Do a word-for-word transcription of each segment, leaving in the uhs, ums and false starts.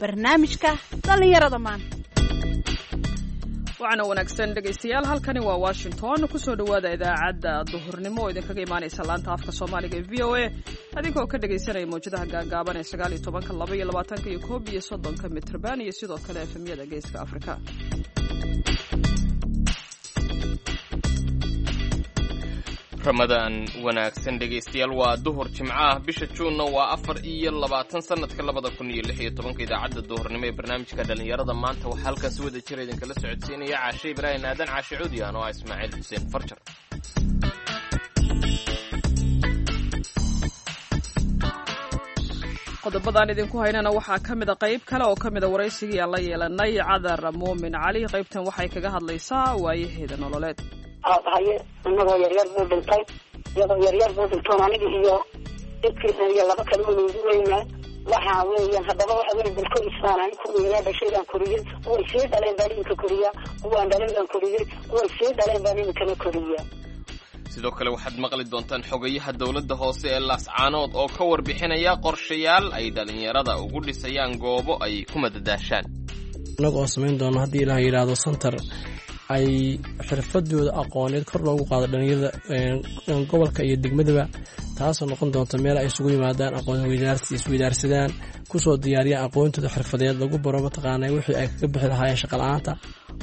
Barnaamijka dhallinyarada maanta. Waxaana wanaagsan, dhegaystayaal, halkani waa Washington. Kusoo dhowaada idaacadda duhurnimo oo idinkaga imaanaysa laanta afka Soomaaliga ee V O A, adinkoo ka dhegaysanaya mawjadaha gaagaaban ee sagaal iyo tobanka, laba iyo labaatanka iyo koob iyo soddonka mitrban, iyo sidoo kale F M-yada Geeska Afrika. Ramadaan wanaagsan, dhegaystayaal. Waa duhur Jimco ah, bisha Juunna waa afar iyo labaatan, sanadka labada kun iyo lix iyo tobanka. Idaacadda duhurnimo ee barnaamijka dhallinyarada maanta waxaa halkan si wada jira idinkala socodsiinaya Caashe Ibraahim Aadan, Caashe Cuudi, anoo ah Ismaaciil Xuseen Farjar. Qodobadaan idinku haynana waxaa ka mida qayb kale oo ka mida waraysigii aan la yeelanay Cadar Muumin Cali. Qaybtan waxay kaga hadlaysaa waayaheeda nololeed. Haye, inagoo yaryar buu dhintay, iyadoo yaryar buu dhintoon aniga iyo dadkiina iyo laba kale unugu weynaa. Waxaa weeyaan haddaba waxa weya dalkoisaan ani ku weynaa, dhashay baan koriyey, kuway sii dhaleen baan iminka koriyaa, kuwaan dhalin baan koriyey, kuway sii dhaleen baan iminkana koriyaa. Sidoo kale waxaad maqli doontaan xogayaha dowladda hoose ee Laascaanood oo ka warbixinaya qorshayaal ay dhallinyarada ugu dhisayaan goobo ay ku madadaashaan. Innaga oo samayn doono, haddii Ilaah yidhaahdo, center ay xirfadooda aqooneed kor loogu qaado dhalinyarada gobolka iyo degmadaba, taasoo noqon doonta meel ay isugu yimaadaan, aqoon isweydaarsadaan, kusoo diyaariyaan aqoontooda xirfadeed, lagu baro mataqaana wixii ay kaga bixi lahaayeen shaqa la-aanta.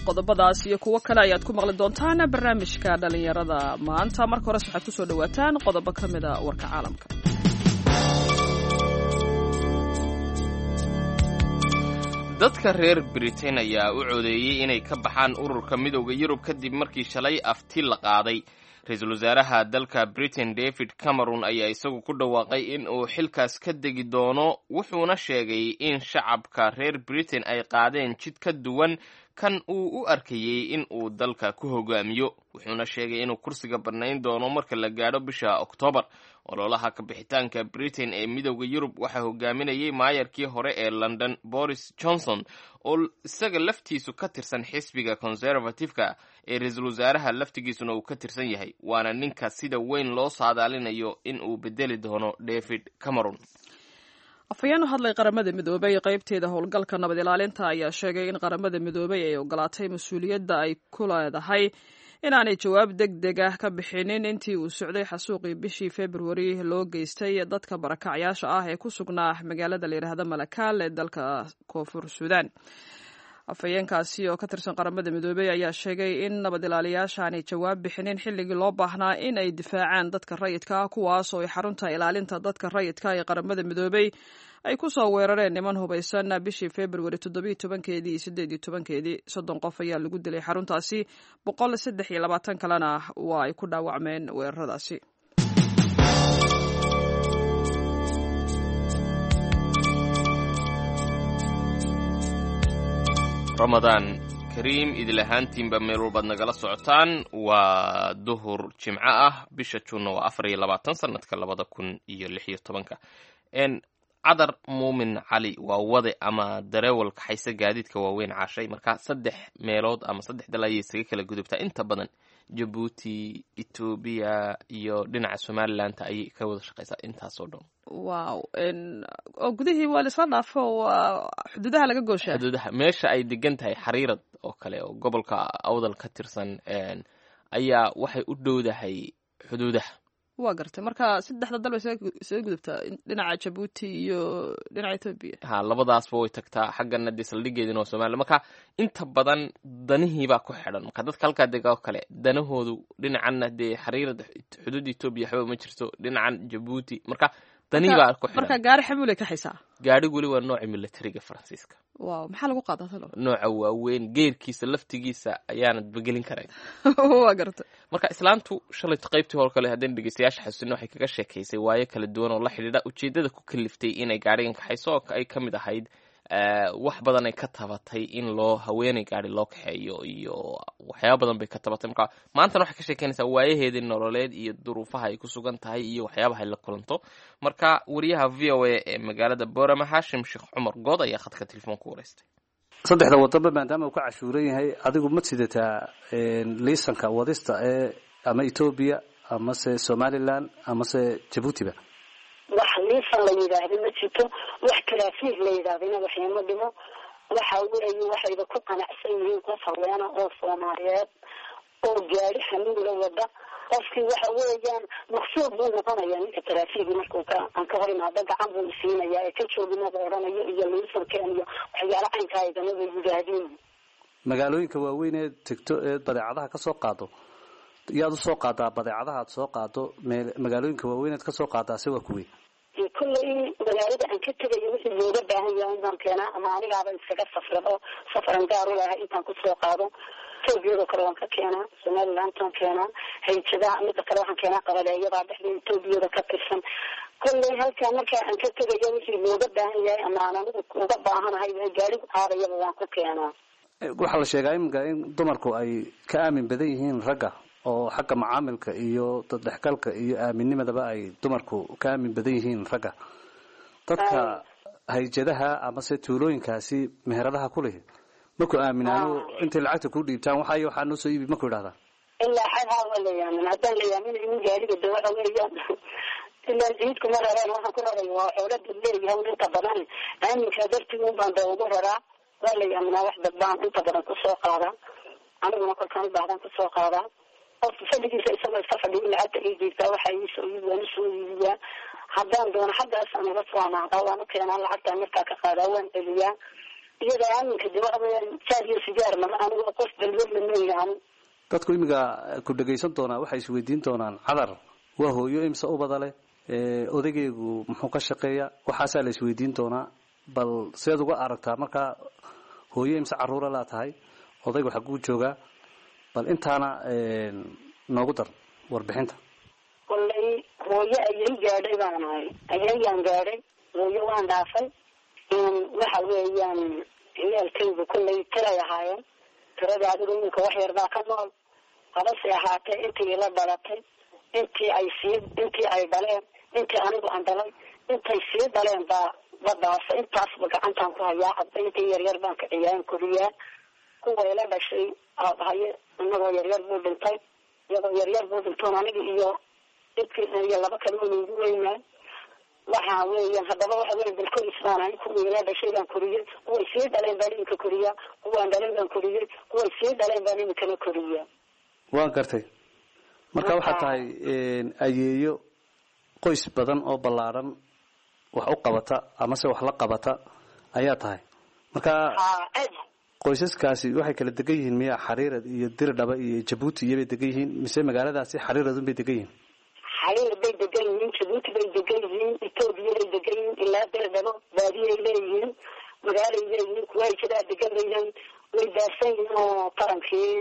Qodobadaas iyo kuwo kale ayaad ku maqli doontaan barnaamijka dhallinyarada maanta. Marka hores waxaad kusoo dhawaataan qodobo ka mida warka caalamka. Dadka reer Britain ayaa u codeeyey inay ka baxaan ururka Midowda Yurub kadib markii shalay afti la qaaday. Ra-iisul wasaaraha dalka Britain David Cameron ayaa isagu ku dhawaaqay in uu xilkaas ka degi doono, wuxuuna sheegay in shacabka reer Britain ay qaadeen jid ka duwan kan uu u arkayey in uu dalka ku hogaamiyo, wuxuuna sheegay inuu kursiga bannayn doono marka la gaadho bisha Oktoobar. Ololaha kabixitaanka Britain ee Midowda Yurub waxaa hogaaminayay maayarkii hore ee London Boris Johnson, oo isaga laftiisu ka tirsan xisbiga Conservative-ka ee ra-iisul wasaaraha laftigiisuna uu ka tirsan yahay, waana ninka sida weyn loo saadaalinayo in uu bedeli doono David Cameron. Afhayeen u hadlay Qaramada Midoobay qaybteeda howlgalka nabad ilaalinta ayaa sheegay in Qaramada Midoobay ay ogolaatay mas-uuliyadda ay ku leedahay inaanay jawaab deg deg ah ka bixinin intii uu socday xasuuqii bishii Februari loo geystay dadka barakacyaasha ah ee ku sugnaa magaalada la yidhaahda Malakaal ee dalka Koonfur Suudaan. Afhayeenkaasi oo ka tirsan Qaramada Midoobey ayaa sheegay in nabad ilaaliyaasha aanay jawaab bixinin xilligii loo baahnaa in ay difaacaan dadka rayidka ah, kuwaas oo ay xarunta ilaalinta dadka rayidka ee Qaramada Midoobey ay ku soo weerareen niman hubaysan bishii Februari toddobiiyo tobankeedii iyo siddeed iyo tobankeedii. Soddon qof ayaa lagu dilay xaruntaasi, boqol saddex iyo labaatan kalena waa ay ku dhaawacmeen weeraradaasi. Ramadaan kariim idil ahaantiinba meel walbaad nagala socotaan. Waa duhur Jimco ah, bisha Juunna waa afar iyo labaatan, sanadka labada kun iyo lix iyo tobanka. Cadar Muumin Cali waa wade ama dareewal kaxaysa gaadiidka waaweyn, Caashay. Marka saddex meelood ama saddex dal ayay isaga kala gudubtaa inta badan, Jabuuti, Etoobiya iyo dhinaca Somaliland ayay ka wada shaqeysaa intaasoo dhan. Wow, oo gudihii waa laisla dhaafo, waa xuduudaha laga gooshaa. Xuduudaha meesha ay degan tahay, Xariirad oo kale oo gobolka Awdal ka tirsan, ayaa waxay u dhowdahay xuduudaha. Waa gartay. Marka saddexda dal bay isaga gudubtaa, dhinaca Jabuuti iyo dhinaca Etoobiya. Ha, labadaasba way tagtaa. Xaggana dee saldhigeedina waa Somaliya. Marka inta badan danihiibaa ku xidhan. Marka dadka halkaa dega oo kale danahoodu dhinacanna dee Xariirad xuduudda Etoobiya waxba ma jirto, dhinacan Jabuuti, marka danihii baa ku xidhan. Marka gaari xamuulay kaxaysaa. Gaadhigu weli waa nooca militariga Faransiiska. Wow, maxaa lagu qaadaa talo? Nooca waaweyn, geerkiisa laftigiisa ayaanad begelin karayn. Waa gartay. Marka islaantu shalayto qaybtii hor kale, haddaynu dhegeystayaasha xasuusino, waxay kaga sheekaysay waayo kala duwan oo la xidhiidha ujeeddada ku kaliftay inay gaadhigan kaxayso, oo ay ka mid ahayd wax badan ay ka tabatay in loo haweeney gaadhi loo kaxeeyo iyo waxyaaba badan bay ka tabatay. Marka maantana waxay ka sheekeynaysaa waayaheedii nololeed iyo duruufaha ay ku sugan tahay iyo waxyaabaha ay la kulanto. Marka wariyaha V O A ee magaalada Boorama, Haashim Sheekh Cumar Good, ayaa khadka telefoonku wareystay. Saddexda wadanba maadaama uu ka cashuuran yahay, adigu ma sidataa liisanka wadista ee ama Etoobiya amase Somaliland amase Jabuutiba? Wax liisan la yidhaahda ma jirto. Wax taraafiig la yidhahdina waxima dhimo. Waxa weeye waxayba ku qanacsan yihiin qof haweena oo Soomaaliyeed oo gaari xamuula wada, qofkii waxa weeyaan maqsuud buu noqonayaa ninka taraafiigi markuu ka aan ka hor imaado, gacan buu isiinayaa ee ka jooginaba odhanayo iyo liisankeen iyo waxyaala caynkaa igamaba yidhaahdiin. Magaalooyinka waaweyn ee tegto ee badeecadaha ka soo qaado, yaad usoo qaadaa badeecadaha aad soo qaado? Magaalooyinka waaweyn eed kasoo qaadaa se waa kuwey? Kulley magaalada aan ka tegayo wixii looga baahan yahay inbaan keenaa, ama anigaaba iskaga safrado, safaran gaar u lahay intaan kusoo qaado. Etoobiyadoo kale waan ka keenaa, Somalilandtaan keenaa, hayjadaha mida kale waxaan keenaa qabaleeyadaa dhexda Etoobiyada ka tirsan. Kolley halkaa markaa aan ka tegayo wixii looga baahan yahay ama aan anigu uga baahanahay gaarigu qaadayaba waan ku keenaa. Waxaa la sheegaa iminka in dumarku ay ka aamin badan yihiin ragga, oo xagga macaamilka iyo daddhexgalka iyo aaminnimadaba ay dumarku ka aamin badan yihiin ragga. Dadka hayjadaha amase tuulooyinkaasi meheradaha ku leh maku aaminaano intay lacagta ku dhiibtaan waxay waxaa noo soo iibi maku idhahdaa? Ilaa xad haa waa la yaamin. Haddaan la yaamin in gaariga de waxa weeyaan ilaa ciid kuma rareen, waxaan ku raray waa xoolo dad leeyahay inta badan, aaminkaa dartii un baan da ugu raraa. Waa la yaaminaa, wax dad baan inta badan kusoo qaadaa, aniguna kolkaan ubaahdaan kusoo qaadaa. Qof fadhigiisa isagoo iska fadhiyo lacagta ii jiirtaa, waxaa iisoo iibi waan usoo iibiyaa. Haddaan doono xaggaasaan uga soo amaahdaa, waan u keenaa lacagtaan markaa ka qaadaa, waan celiyaa. Iyada aaminka de waxa weeyaan jaad iyo sigaar mama, anigu qof balwadla mayahan. Dadku imiga ku dhegaysan doonaa waxay isweydiin doonaan, Cadar waa hooyo imse ubada leh, odaygeegu muxuu ka shaqeeya? Waxaasaa la isweydiin doonaa. Bal seed uga aragtaa markaa hooyo imse caruura laa tahay, odaygu xaguu joogaa? Bal intaana noogu dar warbixinta. Kolley hooyo ayay gaadhay baan ahay, ayayaan gaadhay, hooyo waan dhaafay. Waxa weeyaan ciyaalkaygu kolley tiray ahaayeen, tirada adigu iminka wax yar baa ka nool, habase ahaatee intii ila dhalatay, intii ay sii intii ay dhaleen, intii anigu aan dhalay, intay sii dhaleen baa badaasa, intaasba gacantaan ku hayaa. Cadba intii yaryar baan kiciyaan koriyaa. Kuwa ila dhashay aabahaye inagoo yaryar buu dhintay, iyagoo yaryar buu dhintoon aniga iyo dadkii iyo laba kale un ugu weynaa. Waxa weeyaan haddaba waxa weya dalkois baan ahay, kuwii ila dhashay baan koriyey, kuway sii dhaleen baan iminka koriyaa, kuwaan dhaleen baan koriyey, kuway sii dhaleen baan iminkana koriyaa. Waan gartay. Marka waxaad tahay ayeeyo qoys badan oo ballaaran wax u qabata amase wax la qabata ayaa tahay. Marka qoysaskaasi waxay kala degan yihiin miya Xariirad iyo Dirdhaba iyo Jabuuti iyobay degan yihiin, mise magaaladaasi Xariiradun bay degan yihiin? Xariir bay degan yihiin, Jabuuti bay degan yihiin, Etoobiya bay degan yihiin, ilaa Dirdhabo baadiyay leeyihiin, magaalay leeyihiin, kuwa hayjadaa degan bay leeyihiin. Way baarsan yihiin oo tarankii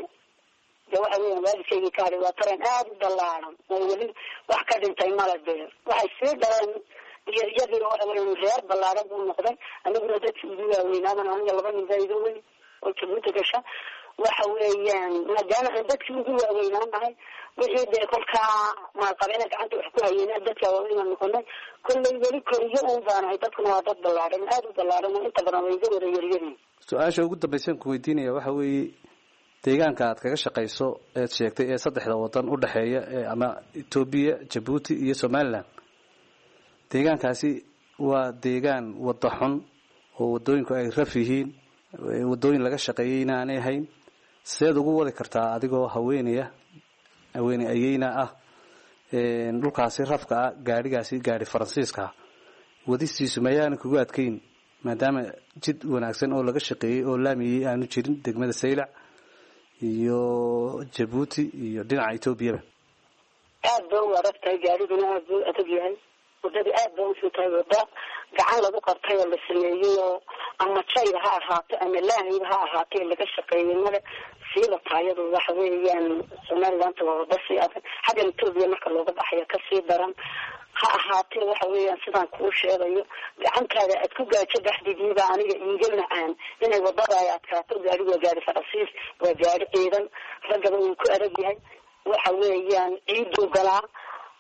de waxa weeyaan waalidkaygii ka hadhay waa taran aada u ballaaran oo weli wax ka dhintay mala dee waxay sii dhaleen iyo iyadiina waxa weeyaan reer ballaaran buu noqday. Aniguna dadkii ugu waaweynaaban, aniga laba nin baa iga weyn oo Jabuuti gasha. Waxa weeyaan maadaama aan dadkii ugu waaweynaanahay, wixii dee kolkaa maalqabeena gacanta wax ku hayeyna dadka waaweynaan noqonay. Kolley weli koriyo uun baanahay, dadkuna waa dad ballaaran, aada u ballaaran oo inta badan way iga wada yaryariin. Su-aasha ugu dambaysan ku weydiinaya waxa weeye, deegaanka aad kaga shaqayso eed sheegtay ee saddexda wadan u dhexeeya ee ama Etoobiya, Jabuuti iyo Somaliland, deegaankaasi waa deegaan wada xun oo wadooyinku ay raf yihiin, wadooyin laga shaqeeyey inaanay hayn. Seed ugu wadi kartaa adigoo haweenaya, haweeney ayeyna ah, dhulkaasi rafka ah gaadhigaasi gaadhi Faransiiska ah wadistiisu mayaana kugu adkayn, maadaama jid wanaagsan oo laga shaqeeyey oo laamiyey aanu jirin degmada Saylac iyo Jabuuti iyo dhinaca Etoobiyaba? Aad ba u adag tahay, gaariguna aad buu adag yahay, wadada aad ba uxun tahay. Wada gacan lagu qabtay oo la sameeyey oo ama jayba ha ahaato ama laamiba ha ahaatee laga shaqeeyey male. Siiba taayadu waxa weeyaan Somalilandta waa wada sii adag, xaggan Etoobiya marka looga baxayo kasii daran. Ha ahaatee waxa weeyaan sidaan kuu sheegayo, gacantaada aad ku gaajo baxdigiiba aniga iiga macaan inay wadada ay adkaato. Gaarigu waa gaari Faransiis, waa gaari ciidan, raggaba wuu ku adag yahay. Waxa weeyaan ciiduu galaa,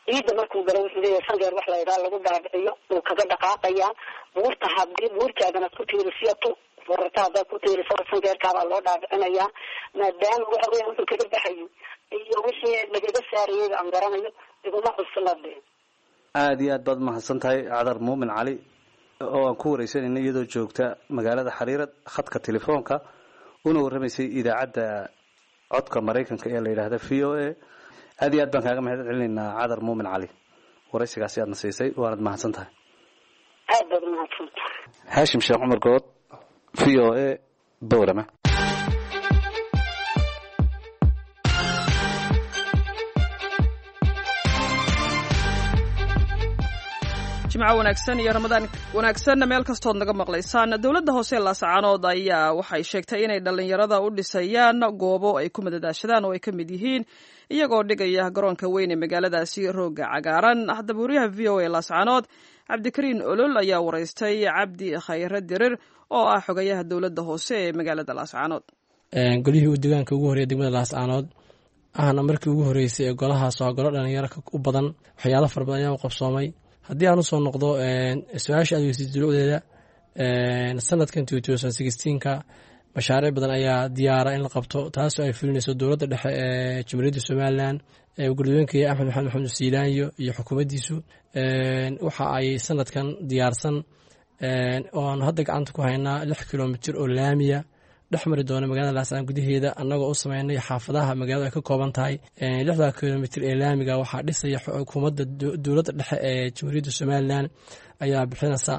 ciidda markuu galo wuxuu leeyahay sangeer wax la yidhaha lagu dhaadhiciyo, wuu kaga dhaqaaqayaa buurta. Hadii buurtaadana ku tiirisiyato wararta haddaad ku tiiriso sangeerkaabaa loo dhaadhicinayaa. Maadaama waxa weeyaan wuxuu kaga baxayay iyo wixii lagaga saarayayba aan garanayo, iguma cuslade. Aada iyo aad baad mahadsan tahay, Cadar Muumin Cali. oo aan ku wareysanayna iyadoo joogta magaalada Xariirad khadka telefoonka una warramaysay idaacadda codka Maraykanka ee la yidhaahda V O A. Aad iyo aad baan kaaga mahad celinaynaa Cadar Muumin Cali, waraysigaasi aadna siisay, waanad mahadsan tahay. Aad baad umahadsantahay. Haashim Sheekh Cumar Good, V O A, Boorama. Jimco wanaagsan iyo Ramadaan wanaagsanna meel kastood naga maqlaysaan. Dowladda hoose ee Laascaanood ayaa waxay sheegtay inay dhallinyarada u dhisayaan goobo ay ku madadaashadaan oo ay ka mid yihiin iyagoo dhigaya garoonka weyn ee magaaladaasi rooga cagaaran. Haddaba wariyaha V O A Laascaanood Cabdikariin Olol ayaa waraystay Cabdi Khayre Dirir oo ah xogayaha dowladda hoose ee magaalada Laascaanood. Golihii uu deegaanka ugu horreeyay degmada Laascaanood ahna markii ugu horreysay ee golahaas waa golo dhalinyaro u badan, waxyaalo fara badan ayaa u qabsoomay. Haddii aan usoo noqdo su-aasha aad weysid dulucdeeda, sanadkan ka mashaariic badan ayaa diyaara in la qabto, taasoo ay fulinayso dowladda dhexe ee Jamhuuriyadda Somalilan, gudoomiyaha Axmed Maxamed Maxamed Siilaanyo iyo xukuumaddiisu. Waxa ay sanadkan diyaarsan oo aanu hadda gacanta ku haynaa lix kilomitir oo laamiya dhex mari doona magaalada Laascaan gudaheeda, annagoo u sameynay xaafadaha magaalada ay ka kooban tahay. Lixda kilomitir ee laamiga waxaa dhisaya xukuumadda dowladda dhexe ee Jamhuuriyadda Somalilan ayaa bixinaysa,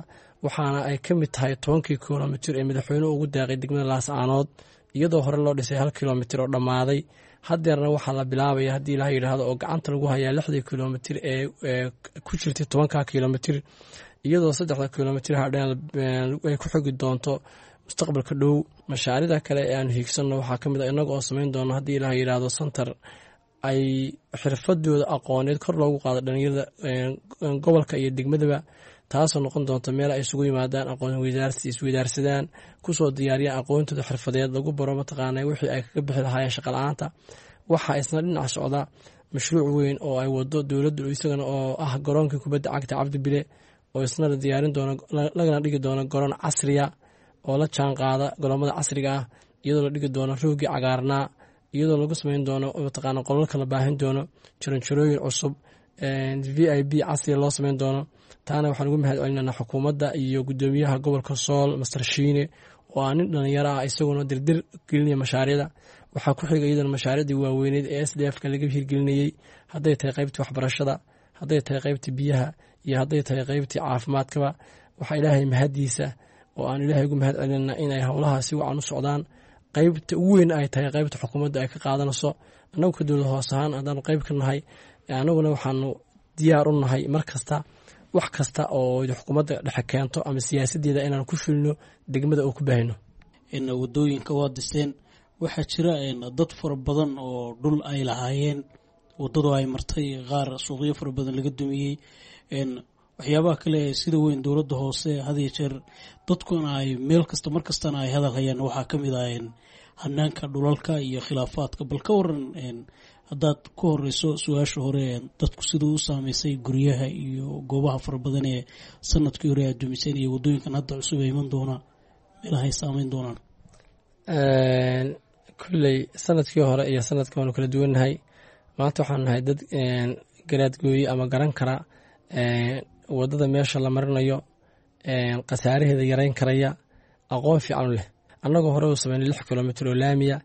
waxaana ay ka mid tahay tobankii kilomitir ee madaxweynuhu ugu deeqay degmada Laascaanood, iyadoo hore loo dhisay hal kilomitir oo dhammaaday. Haddeerna waxaa la bilaabaya haddii Ilaah yidhaahdo oo gacanta lagu hayaa lixdii kilomitir ee ku jirtay tobanka kilomitir, iyadoo saddexda kilomitir hadheen ay ku xogi doonto mustaqbalka dhow. Mashaariicda kale ee aanu hiigsanno waxaa ka mid ah innaga oo samayn doono haddii Ilaah yidhaahdo santar ay xirfadooda aqooneed kor loogu qaado dhalinyarada gobolka iyo degmadaba, taasoo noqon doonta meel ay isugu yimaadaan, aqoon weydaarsi isweydaarsadaan, kusoo diyaariyaan aqoontooda xirfadeed, lagu baro mataqaana wixii ay kaga bixi lahaayeen shaqa la-aanta. Waxaa isna dhinac socda mashruuc weyn oo ay wado dowladdu isagana oo ah garoonkii kubadda cagta Cabdi Bile, oo isna la diyaarin doono lagana dhigi doono garoon casriya oo la jaan qaada garoomada casriga ah, iyadoo la dhigi doono roogii cagaarnaa, iyadoo lagu sameyn doono mataqaana qolalka la baahin doono, jaranjarooyin cusub, V I P casriya loo sameyn doono. Taana waxaan ugu mahad celinanaa xukuumadda iyo guddoomiyaha gobolka Sool Master Shiine oo ah nin dhalinyaro ah isaguna dirdir gelinaya mashaariicda. Waxaa ku xiga iyadana mashaariicdii waaweyneed ee S D F ka laga hirgelinayey, hadday tahay qaybtii waxbarashada, hadday tahay qaybtii biyaha iyo hadday tahay qaybtii caafimaadkaba. Waxaa Ilaahay mahadiisa oo aan Ilaahay ugu mahad celinana inay howlaha si wacan u socdaan. Qaybta ugu weyn ay tahay qaybta xukuumadda ay ka qaadanayso, annagu ka dowlad hoos ahaan haddaanu qayb ka nahay, annaguna waxaanu diyaar u nahay mar kasta wax kasta oo xukuumadda dhexe keento ama siyaasaddeeda inaan ku fulino degmada oo ku baahino. Wadooyinka waa diseen, waxaa jira dad fara badan oo dhul ay lahaayeen wadadu ay martay, qaar suuqyo fara badan laga dumiyey. Waxyaabaha kale ee sida weyn dowladda hoose had iyo jeer dadkuna ay meel kasta mar kastana ay hadal hayaan waxaa ka mid ah hanaanka dhulalka iyo khilaafaadka. Bal ka waran haddaad ku horeyso su-aasha hore, dadku siduu u saameysay guryaha iyo goobaha fara badan ee sanadkii hore aad dumiseen iyo wadooyinkan hadda cusub ee iman doona, meelaha ay saameyn doonaan? Kulley sanadkii hore iyo sanadka waanu kala duwannahay. Maanta waxaanu nahay dad garaadgooye ama garan kara wadada meesha la marinayo, khasaaraheeda yareyn karaya, aqoon fiican u leh. Annagoo hore u sameynay lix kilomitir oo laamiya,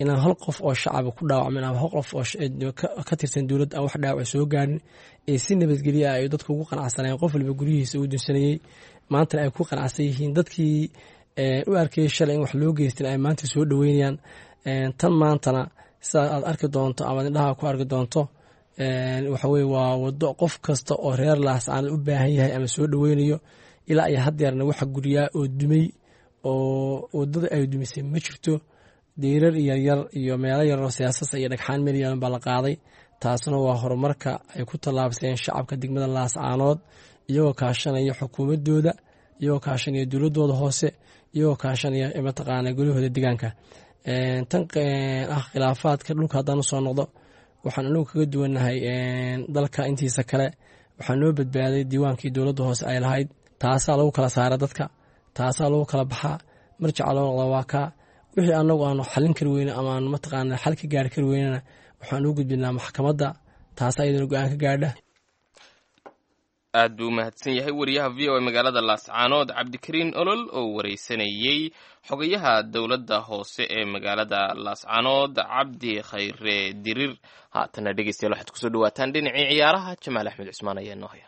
inaan hal qof oo shacaba ku dhaawacmin ama hal qof oo ka tirsan dowladda aan wax dhaawac soo gaarin, ee si nabadgelya ah ay dadku ugu qanacsanayeen, qof waliba guryihiisa uu dunsanayey, maantana ay ku qanacsan yihiin. Dadkii u arkayay shalay in wax loo geystin ay maanta soo dhoweynayaan. Tan maantana sidaa aad arki doonto ama indhaha ku arki doonto waxa weye waa wado qof kasta oo reer Laascaanood u baahan yahay ama soo dhoweynayo. Ilaa iyo haddeerna waxa guryaa oo dumay oo wadada ay dumisay ma jirto. Deyrar yaryar iyo meelo yaroo siyaasasa iyo dhagxaan meel yaran baa la qaaday. Taasna waa horumarka ay ku tallaabseen shacabka degmada Laascaanood, iyagoo kaashanaya xukuumadooda, iyagoo kaashanaya dowladooda hoose, iyagoo kaashanaya mataqaana golahooda deegaanka. Tan ah khilaafaadka dhulka haddaan usoo noqdo, waxaan anagu kaga duwannahay dalka intiisa kale. Waxaa noo badbaaday diiwaankii dowladda hoose ay lahayd, taasaa lagu kala saara dadka, taasaa lagu kala baxaa, marjaca loo noqda waa kaa. Wixii anagu aanu xalin kari weyne ama aanu mataqaana xal ka gaari kari weynena waxaan u gudbinaa maxkamadda, taasaa iyadana go-aan ka gaadha. Aad buu umahadsan yahay wariyaha V O A magaalada Laascaanood Cabdikariin Olol oo wareysanayey xogayaha dowladda hoose ee magaalada Laascaanood Cabdi Khayre Dirir. Haatana dhegeystayaal waxaad kusoo dhawaataan dhinacii ciyaaraha. Jamaal Axmed Cusmaan ayaa noo haya.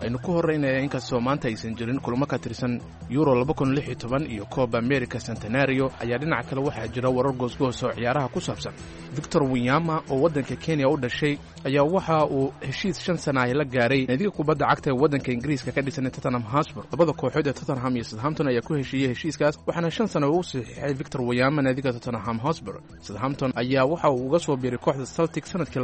Aynu ku horraynaya, inkastoo maanta aysan jirin kulamo ka tirsan Euro iyo Coba America Centenario, ayaa dhinaca kale waxaa jira warar goosgoos oo ciyaaraha ku saabsan. Victor Wanyama oo waddanka Kenya u dhashay ayaa waxa uu heshiis shan sana ay la gaaray naadiga kubadda cagta ee waddanka Ingiriiska ka dhisan Tottenham Hotspur. Labada kooxood ee Tottenham iyo Southampton ayaa ku heshiiyey heshiiskaas, waxaana shan sana uu saxiixay Victor Wanyama naadiga Tottenham Hotspur. Southampton ayaa waxa uu uga soo biiray kooxda Celtic sanadkii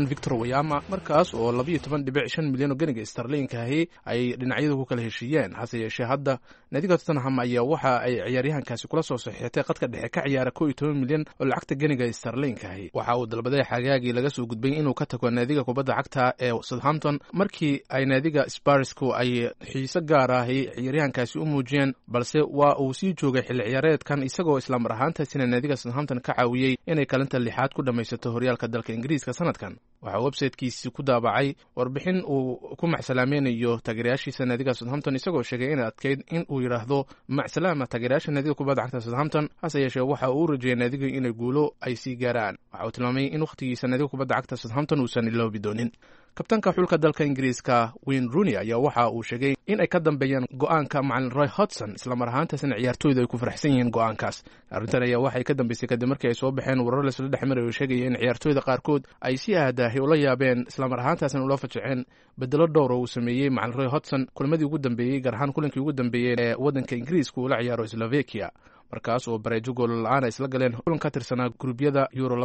Victor Wanyama, markaas oo milyan oo ganiga starliinkahi ay dhinacyadu ku kala heshiiyeen. Hase yeeshee hadda naadiga Tottenham ayaa waxa ay ciyaaryahankaasi kula soo saxiixatay qadka dhexe ka ciyaara kow iyo toban milyan oo lacagta ganiga starliinkahi. Waxa uu dalbaday xagaagii laga soo gudbay inuu ka tago naadiga kubadda cagta ee Southampton markii ay naadiga Sparsku ay xiise gaar ahi ciyaaryahankaasi u muujiyeen, balse waa uu sii joogay xilli ciyaareedkan, isagoo islamar ahaantaasina naadiga Southampton ka caawiyey inay kalinta lixaad ku dhammaysato horyaalka dalka Ingiriiska sanadkan. Waxaa websitekiisi ku daabacay warbixin uu ku macsalaamaynayo taageerayaashiisa naadiga Southampton, isagoo sheegay inay adkeyd in uu yidhaahdo macsalaama taageerayaasha naadiga kubadda cagta Southampton. Hase yeeshee waxa uu u rajeeyay naadiga inay guulo ay sii gaaraan. Waxa uu tilmaamay in wakhtigiisa naadiga kubadda cagta Southampton uusan iloobi doonin. Kabtanka xulka dalka Ingiriiska Wayne Rooney ayaa waxa uu sheegay in ay ka dambeeyeen go'aanka macalin Roy Hodgson, islamar ahaantaasina ciyaartooydu ay ku faraxsan yihiin go'aankaas. Arrintan ayaa waxay ka dambeysay kadib markii ay soo baxeen warar laisla dhex maray oo sheegaya in ciyaartooyda qaarkood ay si aadaahi ula yaabeen, islamar ahaantaasina ula fajaceen bedelo dhowr oo uu sameeyey macalin Roy Hodgson kulmadii ugu dambeeyey, gaar ahaan kulankii ugu dambeeyey ee waddanka Ingiriiska uu la ciyaaro Slovakia, markaas oo bareejo goolo la-aan ay isla galeen kulan ka tirsanaa guruubyada Euro.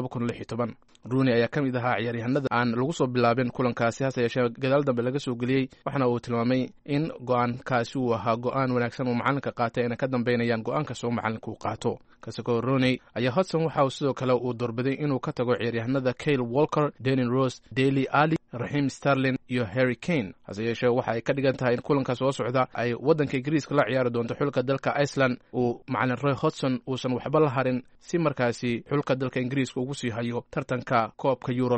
Rooney ayaa ka mid ahaa ciyaaryahanada aan lagu soo bilaabin kulankaasi, hase yeeshee gadaal dambe laga soo geliyey, waxaana uu tilmaamay in go-aankaasi uu ahaa go-aan wanaagsan uu macalinka qaatay, ayna ka dambeynayaan go-aan kasta oo macalinka uu qaato. Kasakoo Rooney ayaa Hodgson waxa uu sidoo kale uu doorbiday inuu ka tago ciyaaryahanada Kyle Walker, Danny Rose, Dele Alli, Raheem Sterling iyo Harry Kane. Hase yeeshee waxa ay ka dhigan tahay in kulanka soo socda ay waddanka Ingiriiska la ciyaari doonto xulka dalka Iceland uu macalin Roy Hodgson uusan waxba la harin, si markaasi xulka dalka Ingiriiska ugu sii hayo tartanka koobka Euro.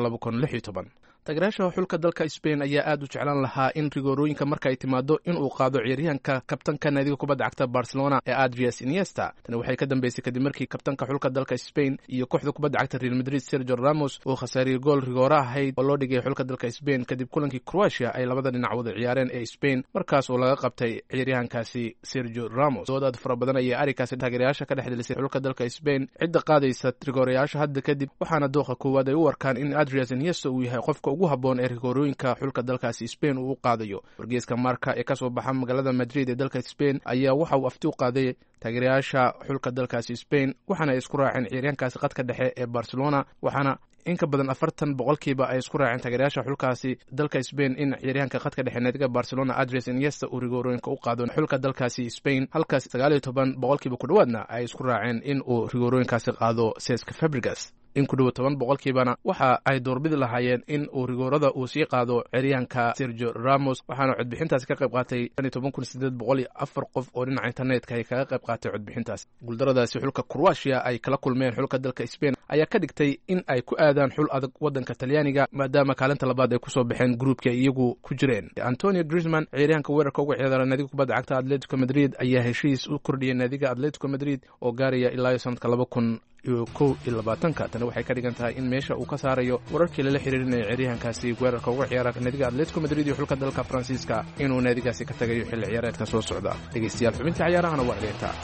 Taageerayaasha xulka dalka Spain ayaa aad u jeclaan lahaa in rigoorooyinka marka ay timaado inuu qaado ciyaaryahanka kabtanka naadiga kubadda cagta Barcelona ee Adrias Iniesta. Tani waxay ka dambeysay kadib markii kabtanka xulka dalka Spain iyo kooxda kubadda cagta Real Madrid Sergio Ramos uu khasaariyey gool rigoora ahayd oo loo dhigay xulka dalka Spain kadib kulankii Croatia ay labada dhinac wada ciyaareen ee Spain, markaas oo laga qabtay ciyaaryahankaasi Sergio Ramos. Dood aad fara badan ayaa arrinkaasi taageerayaasha ka dhex delisay xulka dalka Spain cidda qaadaysa rigoorayaasha hadda kadib, waxaana dooqa koowaad ay u arkaan in Adrias Iniesta uu yahay qofka ugu habboon ee rigoorooyinka xulka dalkaasi Spain uu u qaadayo. Wargeyska Marka ee kasoo baxa magaalada Madrid ee dalka Spain ayaa waxa uu afti u qaaday taageerayaasha xulka dalkaasi Spain, waxaana ay isku raaceen ciyaaryahankaasi qadka dhexe ee Barcelona, waxaana in ka badan afartan boqolkiiba ay isku raaceen taageerayaasha xulkaasi dalka Spain in ciyaaryahanka qadka dhexe naadiga Barcelona Adres Iniesta uu rigoorooyinka u qaado xulka dalkaasi Spain, halkaas sagaal iyo toban boqolkiiba ku dhowaadna ay isku raaceen in uu rigoorooyinkaasi qaado Cesc Fabregas. In ku dhowo toban boqolkiibana waxa ay doorbidi lahaayeen in uu rigoorada uu sii qaado ciyaaryahanka Sergio Ramos, waxaana codbixintaasi ka qayb qaatay toban kun sideed boqol iyo afar qof oo dhinaca internetka ay kaga qayb qaatay codbixintaas. Guuldaradaasi xulka Croatia ay kala kulmeen xulka dalka Spain ayaa ka dhigtay in ay ku aadaan xul adag waddanka Talyaaniga, maadaama kaalinta labaad ay kusoo baxeen gruupka ay iyagu ku jireen. Antonio Griezmann, ciyaaryahanka weerarka uga ciyaara naadiga kubadda cagta Atletico Madrid, ayaa heshiis u kordhiyay naadiga Atletico Madrid oo gaaraya ilaa iyo sanadka laba kun iyo kow iyo labaatanka. Tani waxay ka dhigan tahay in meesha uu ka saarayo wararkii lala xiriirinaya ciyaaryahankaasi weerarka uga ciyaara naadiga Atletico Madrid iyo xulka dalka Faransiiska inuu naadigaasi ka tagayo xilli ciyaareedka soo socda. Dhegeystayaal, xubinta ciyaarahana waa dheertaa.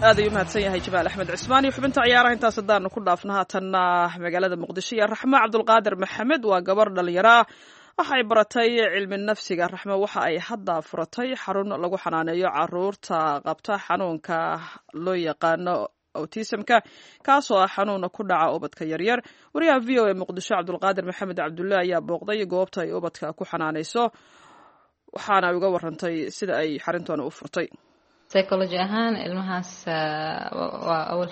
Aad ayuu mahadsan yahay Jamaal Axmed Cismaan iyo xubinta ciyaaraha. Intaas haddaanu ku dhaafno, haatanna magaalada Muqdisho iyo Raxmo Cabdulqaadir Maxamed waa gabar dhallinyaro ah, waxa ay baratay cilmi nafsiga. Raxmo waxa ay hadda furatay xarun lagu xanaaneeyo caruurta qabta xanuunka loo yaqaano autismka, kaasoo ah xanuuna ku dhaca ubadka yaryar. Wariyaha V O A Muqdisho Cabdulqaadir Maxamed Cabdulle ayaa booqday goobta ay ubadka ku xanaaneyso, waxaana ay uga warantay sida ay xarintooda u furtay. Psychology ahaan ilmahaas waa awal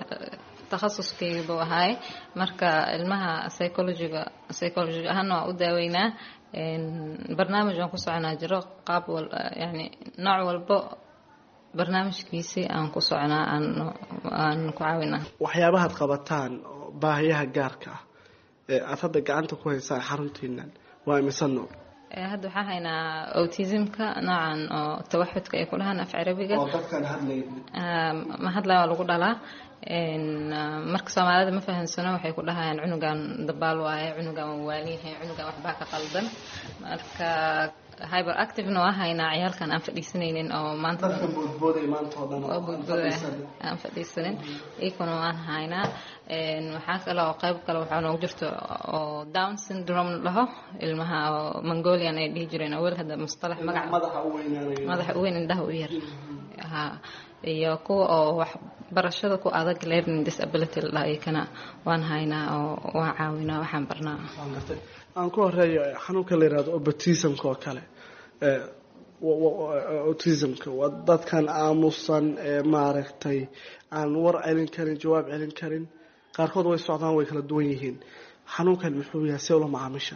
takhasuskayga buu ahaay. Marka ilmaha psychologyga psychology ahaana waa u daaweynaa. Barnaamij aan ku soconaa jiro, qaab wal yani nooc walbo barnaamijkiisii aan ku soconaa, aan aan ku caawinaa. Waxyaabahaad qabataan oo baahiyaha gaarka ah ee aada hadda gacanta ku haysaan xaruntiinan waa imise nooc? Hadda waxaan haynaa autismka, noocan oo tawaxudka ay ku dhahaan af Carabiga. Oo dadkaan hadlayn. Ma hadlaya, waa lagu dhalaa. Marka Soomaalida ma fahansano, waxay ku dhahayaan cunugan dabaal waaye, cunugan waa waaliyahay, cunugan waxbaa ka qaldan. Marka hyper activena waa haynaa, ciyaalkan aan fadhiisanaynin oo maanta dadka boodbooday maanta oo dhan oo boodbooday aan fadhiisanin, iyakuna waan haynaa. Waxaa kale oo qayb kale waxaa noogu jirto oo Down syndrome la dhaho, ilmaha oo Mongolian ay dhihi jireen awel, hadda mustalax magac madaxa u weynaanayo, madaxa u weyn, indhaha u yar ha, iyo kuwa oo wax barashada ku adag, learning disability la dhaho, iyakana waan haynaa oo waan caawinaa, waxaan barnaa. Aan ku horeeyo xanuunka la yihahdo autismka oo kale. Autismka waa dadkan aamusan ee maaragtay aan war celin karin, jawaab celin karin, qaarkood way socdaan, way kala duwan yihiin. Xanuunkan muxuu yahay, see ula macaamisha?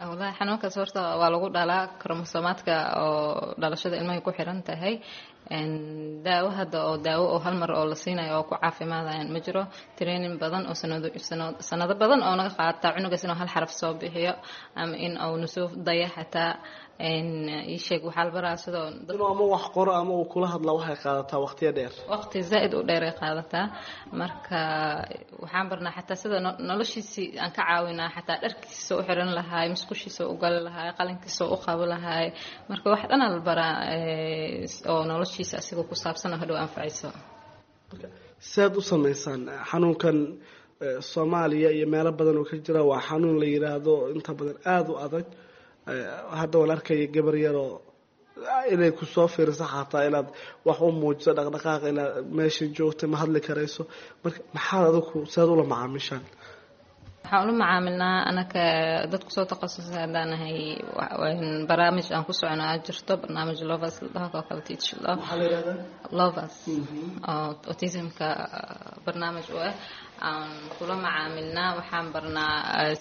Wallahi xanuunkaas horta waa lagu dhalaa, kromosomaadka oo dhalashada ilmahay ku xiran tahay. Daawo hadda oo daawo oo hal mar oo la siinayo oo ku caafimaadayaan ma jiro. Training badan oo sanado sanado badan oo naga qaata cunugaas inuu hal xaraf soo bixiyo ama in uu nusoo daya xataa ii sheeg. Waxaa la baraa sidoo inuu ama wax qoro ama uu kula hadla, waxay qaadataa waqtiyo dheer. Waqti zaa'id u dheer ay qaadataa. Marka waxaan barnaa xataa sida noloshiisii aan ka caawinaa, xataa dharkiisa u xiran lahaay, musqushiisa u gali lahaay, qalinkiisa u qabo lahaay. Marka wax dhan la baraa oo noloshiisa asigoo ku saabsan oo hadhow anfacayso. Siaad u samaysaan xanuunkan Soomaaliya iyo meelo badan oo ka jira, waa xanuun la yiraahdo inta badan aada u adag. Hadda waan arkaya gabar yaroo inay kusoo fiiriso, xataa inaad wax u muujiso dhaqdhaqaaq, inaad meesha joogta ma hadli karayso. Marka maxaad adigu siaad ula macaamishaan? Waxaan ula macaamilnaa anaka dad kusoo takhasusay haddaan nahay, barnaamij aan ku socono aa jirto, barnaamij Lovers la dhaho oo kale, teach Maxaa la yihahdaa? Lovers oo autismka barnaamij u ah aan kula macaamilnaa. Waxaan barnaa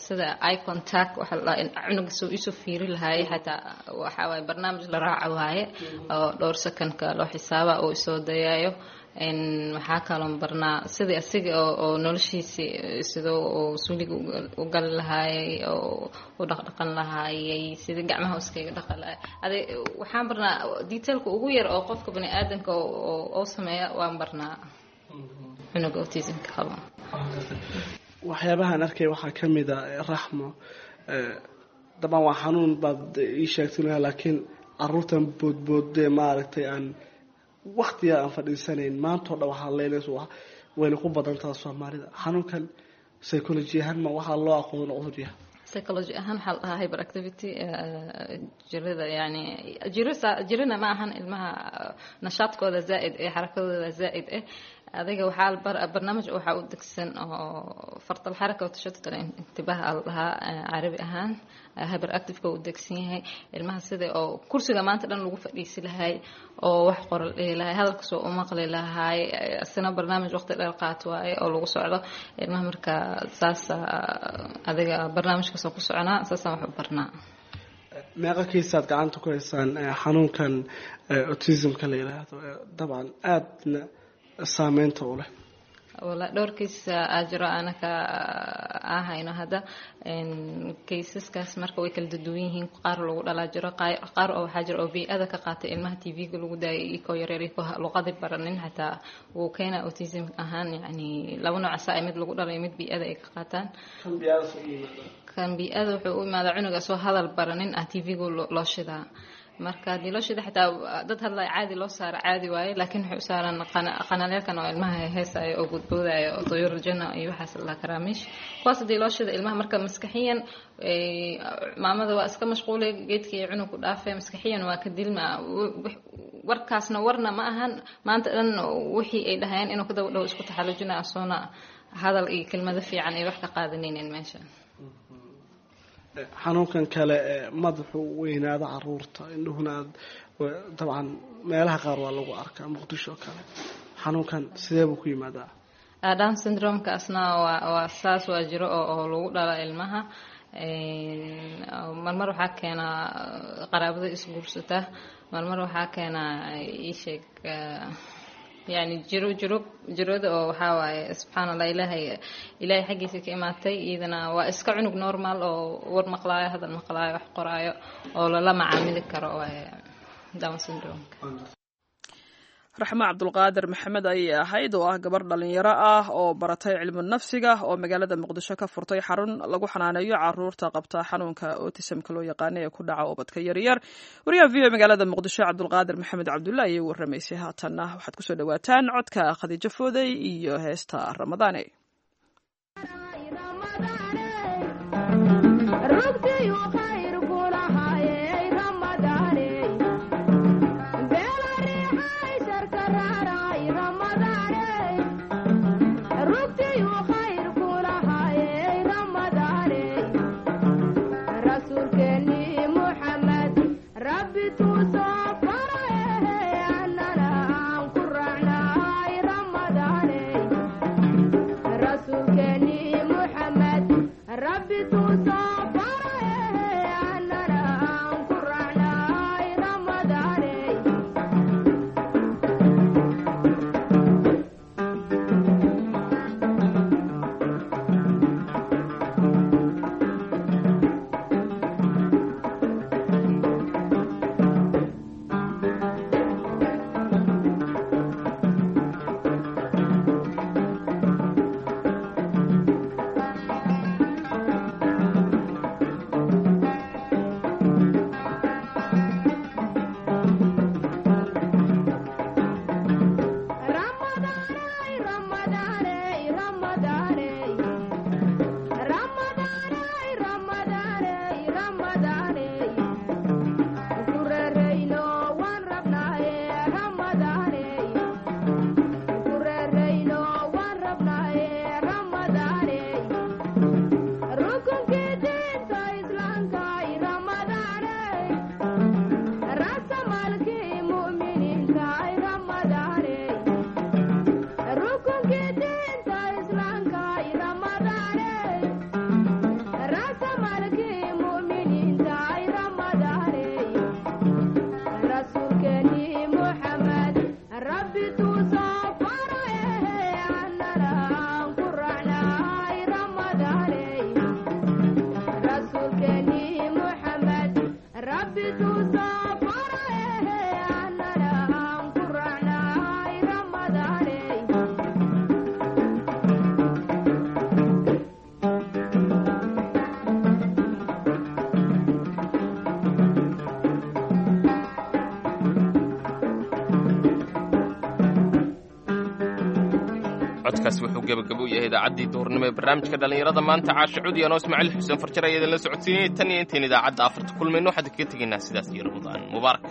sida eye contact waxa la dhahaa, cunuga soo iisoo fiiri lahaay. Xataa waxa waaye barnaamij la raaca waaye oo dhowr secondka loo xisaaba oo isoo dayayo. Waxaa kaloon barnaa sidii asiga oo noloshiisi sidoo oo suuliga u gali lahaayay oo u dhaqdhaqan lahaayay, sidii gacmaha iskaga dhaqan lahaay. Ade waxaan barnaa detailka ugu yar oo qofka bani aadamka oo sameeya waan barnaa cunuga autismka qabo. Waxyaabahaan arkay waxaa ka mid a, Raxmo, dabcan waa xanuun baad ii sheegtay, laakiin caruurtan boodboodee maaragtay aan waktiga aan fadhiisanayn maantao dhan waxaa leynaysa, wayna ku badantaha Soomaalida. Xanuunkan psychology ahaan ma waxaa loo aqoon cudur yahay? Psychology ahaan waxaa la dhahaa hyperactivity, jirada yani jiro jirina ma ahan, ilmaha nashaadkooda zaa'id eh, xarakadooda zaa'id eh. Adiga waxaa barnaamij waxaa u degsan oo fartal xaraka oo tashatut intibaah aa la dhahaa carabi ahaan. Hyper activeka u degsan yahay ilmaha, sida oo kursiga maanta dhan lagu fadhiisi lahay oo wax qoral dhihi lahay, hadalkasoo u maqli lahay, isna barnaamij waqti dheer qaat waaye oo lagu socdo ilmaha. Marka saasa adiga barnaamijkaasoo ku soconaa, saasaan wax u barnaa. Meeqa kiisaad gacanta ku haysaan xanuunkan autismka la yiraahdo, dabcan aadna saameynta u leh? Wala dhowr kiis aa jiro anaka aa hayno hadda kaysaskaas. Marka way kala duwan yihiin, qaar lagu dhalaa jiro, qaar oo waxaa jiro oo bii-ada ka qaatay, ilmaha T V-ga lagu daayay ikoo yareer, ikoo luqadii baranin xataa wuu keenaa autism ahaan. Yani laba nooc asaa, mid lagu dhalay, mid bii-ada ay ka qaataan. Kan bii-ada wuxuu u imaadaa cunuga soo hadal baranin ah, T V-ga loo shidaa. Marka haddii loo shida, xitaa dad hadlaya caadi loo saaro caadi waaye, laakiin waxay u saaraan qanaleelkan oo ilmaha heesaayo oo boodboodaayo oo tuyuur janna iyo waxaas la karaamiish, kuwaas haddii loo shida ilmaha, marka maskaxiyan maamada waa iska mashquulay, geedkii iyo cunug ku dhaafay, maskaxiyan waa ka dilma. Warkaasna warna ma ahan, maanta dhan wixii ay dhahayeen inuu ka daba dhow isku taxallujina, asoona hadal iyo kelmado fiican ay wax ka qaadanaynin meesha. Xanuunkan kale ee madaxu weynaado caruurta, indhuhuna aad dabcan meelaha qaar waa lagu arkaa, Muqdisho oo kale, xanuunkan sidee buu ku yimaadaa? Down syndrome-kaasna waa waa saas, waa jiro oo oo lagu dhala ilmaha. Marmar waxaa keenaa qaraabada isguursata, marmar waxaa keenaa iisheeg yani jiro jiro jirada oo waxaa waaye subxaan Allah, ilaahay ilaahay xaggiisa ka imaatay. Iyadana waa iska cunug normal oo war maqlaayo, hadal maqlaayo, wax qoraayo oo lala macaamili karo waaye Down syndrome-ka. Raxmo Cabdulqaadir Maxamed ayay ahayd, oo ah gabar dhalinyaro ah oo baratay cilmu nafsiga, oo magaalada Muqdisho ka furtay xarun lagu xanaaneeyo caruurta qabta xanuunka autismka loo yaqaana ee ku dhaca ubadka yaryar. Wariyaha V O magaalada Muqdisho Cabdulqaadir Maxamed Cabdulla ayay warramaysay. Haatanna waxaad kusoo dhawaataan codka Khadiijo Foodey iyo heesta Ramadaane. Codkaasi wuxuu gebagabo u yahay idaacaddii duhurnimo ee barnaamijka dhallinyarada maanta. Caasha Cudi anoo Ismaaciil Xuseen Farjar ayaa idinla socodsiinayay. Tan iyo intayn idaacadda afarta kulmayno, waxaan kaga tegaynaa sidaas iyo Ramadaan mubaarak.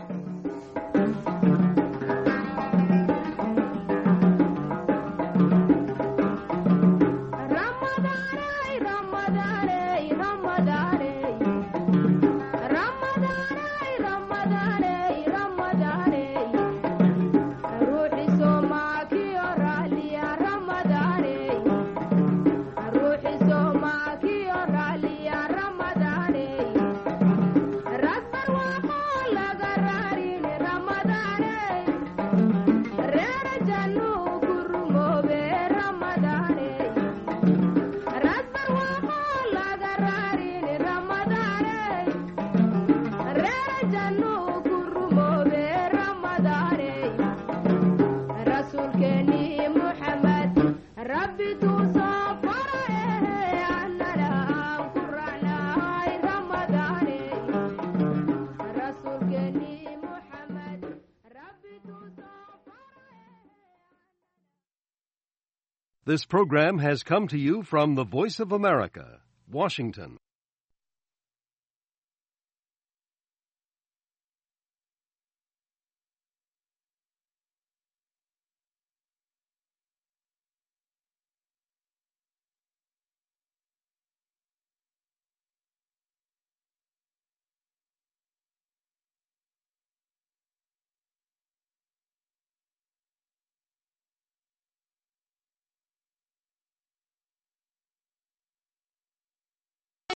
This program has come to you from the Voice of America, Washington.